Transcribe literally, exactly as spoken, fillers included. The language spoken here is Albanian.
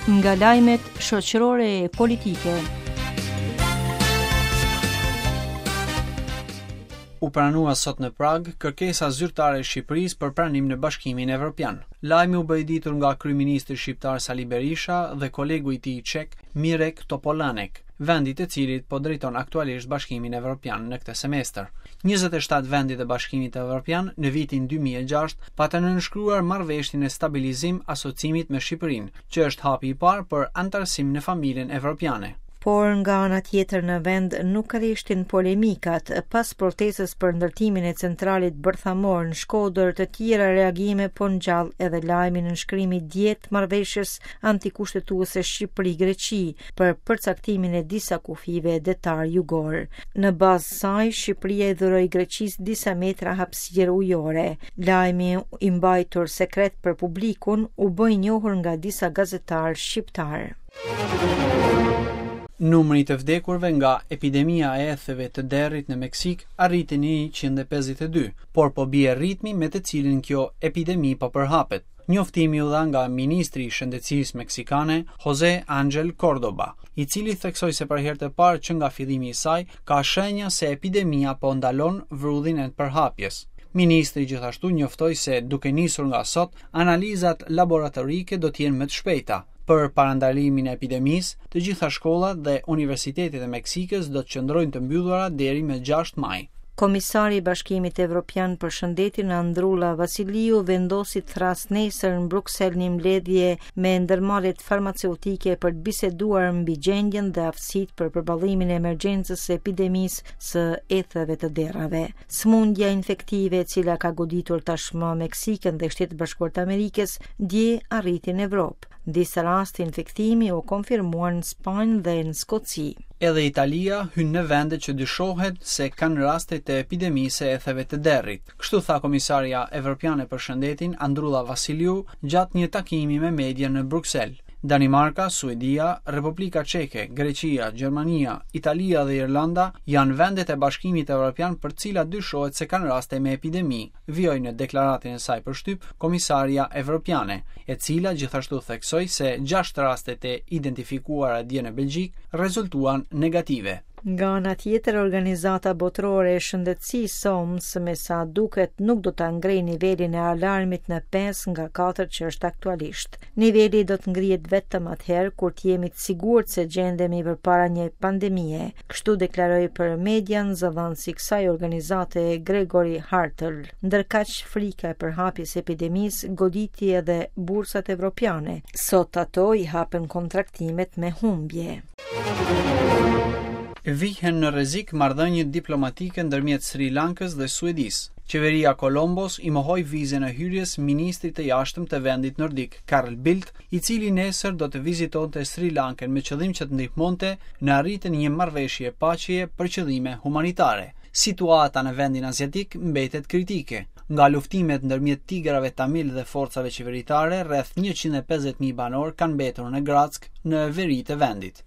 Nga lajmet shoqërore e politike. U pranua sot në Prag kërkesa zyrtare e Shqipërisë për pranim në Bashkimin Evropian. Lajmi u bë i ditur nga kryeministri shqiptar Sali Berisha dhe kolegu i tij çek Mirek Topolanek, vendi të cilit po drejton aktualisht Bashkimin Evropian në këtë semestër. njëzet e shtatë vendet e Bashkimit Evropian në vitin dy mijë e gjashtë patën nënshkruar marrëveshjen e stabilizim asocimit me Shqipërinë, që është hapi i parë për antarësim në familjen evropiane. Por nga ana tjetër në vend nuk rreshtin polemikat. Pas protestës për ndërtimin e centralit bërthamor në Shkodër, të tjera reagime po ngjall edhe lajmi në nënshkrimit dje të marrëveshjes antikushtetuese Shqipëri-Greqi për përcaktimin e disa kufive detar jugor. Në bazë saj, Shqipëria i dhuroi Greqisë disa metra hapësirë ujore. Lajmi i mbajtur sekret për publikun u bë i njohur nga disa gazetarë shqiptar. Numri i të vdekurve nga epidemia e etheve të derrit në Meksik arriti në njëqind e pesëdhjetë e dy, por po bie ritmi me të cilin kjo epidemi po përhapet. Njoftimi u dha nga ministri i Shëndetësisë meksikane Jose Angel Cordoba, i cili theksoi se për herë të parë që nga fillimi i saj ka shenja se epidemia po ndalon vrullin e përhapjes. Ministri gjithashtu njoftoi se duke nisur nga sot, analizat laboratorike do të jenë më të shpejta. Për parandalimin e epidemisë, të gjitha shkollat dhe universitetet e Meksikës do të qëndrojnë të mbyllura deri më gjashtë maj. Komisari i Bashkimit Evropian për Shëndetin Andrulla Vasiliu vendosi të thras nesër në Bruksel një mbledhje me ndërmarrjet farmaceutike për të biseduar mbi gjendjen dhe aftësitë për përballimin e emergjencës së epidemisë së etheve të derrave. Sëmundja infektive e cila ka goditur tashmë Meksikën dhe Shtetet e Bashkuara të Amerikës dje arriti në Evropë. Disa raste infektimi u konfirmuan në Spanjë dhe në Skoci. Edhe Italia hyn në vende që dyshohet se kanë raste të epidemisë së etheve të derrit. Kështu tha komisaria evropiane për shëndetin Andrulla Vasiliu gjatë një takimi me media në Bruksel. Danimarka, Suedia, Republika Çeke, Greqia, Gjermania, Italia dhe Irlanda janë vendet e Bashkimit Evropian për të cilat dyshohet se kanë raste me epidemi, vijoi në deklaratën e saj për shtyp komisaria evropiane, e cila gjithashtu theksoi se gjashtë rastet e identifikuara dje në Belgjikë rezultuan negative. Nga ana tjetër, Organizata Botërore e Shëndetësisë O M S me sa duket nuk do ta ngrejë nivelin e alarmit në pesë nga katër që është aktualisht. Niveli do të ngrihet vetëm atëherë kur të jemi të sigurt se gjendemi përpara një pandemie. Kështu deklaroi për median zëdhënësi i kësaj organizate Gregory Hartl. Ndërkaq, frika e përhapjes së epidemisë goditi edhe bursat evropiane. Sot ato i hapen kontraktimet me humbje. Vihen në rrezik marrëdhëniet diplomatike ndërmjet Sri Lankës dhe Suedisë. Qeveria Kolombos i mohoi vizën e hyrjes ministrit të jashtëm të vendit nordik, Carl Bildt, i cili nesër do të vizitonte Sri Lankën me qëllim që të ndihmonte në arritjen e një marrëveshje paqeje për qëllime humanitare. Situata në vendin aziatik mbetet kritike. Nga luftimet ndërmjet tigrave tamil dhe forcave qeveritare, rreth njëqind e pesëdhjetë mijë banorë kanë mbetur në Grack në veri të vendit.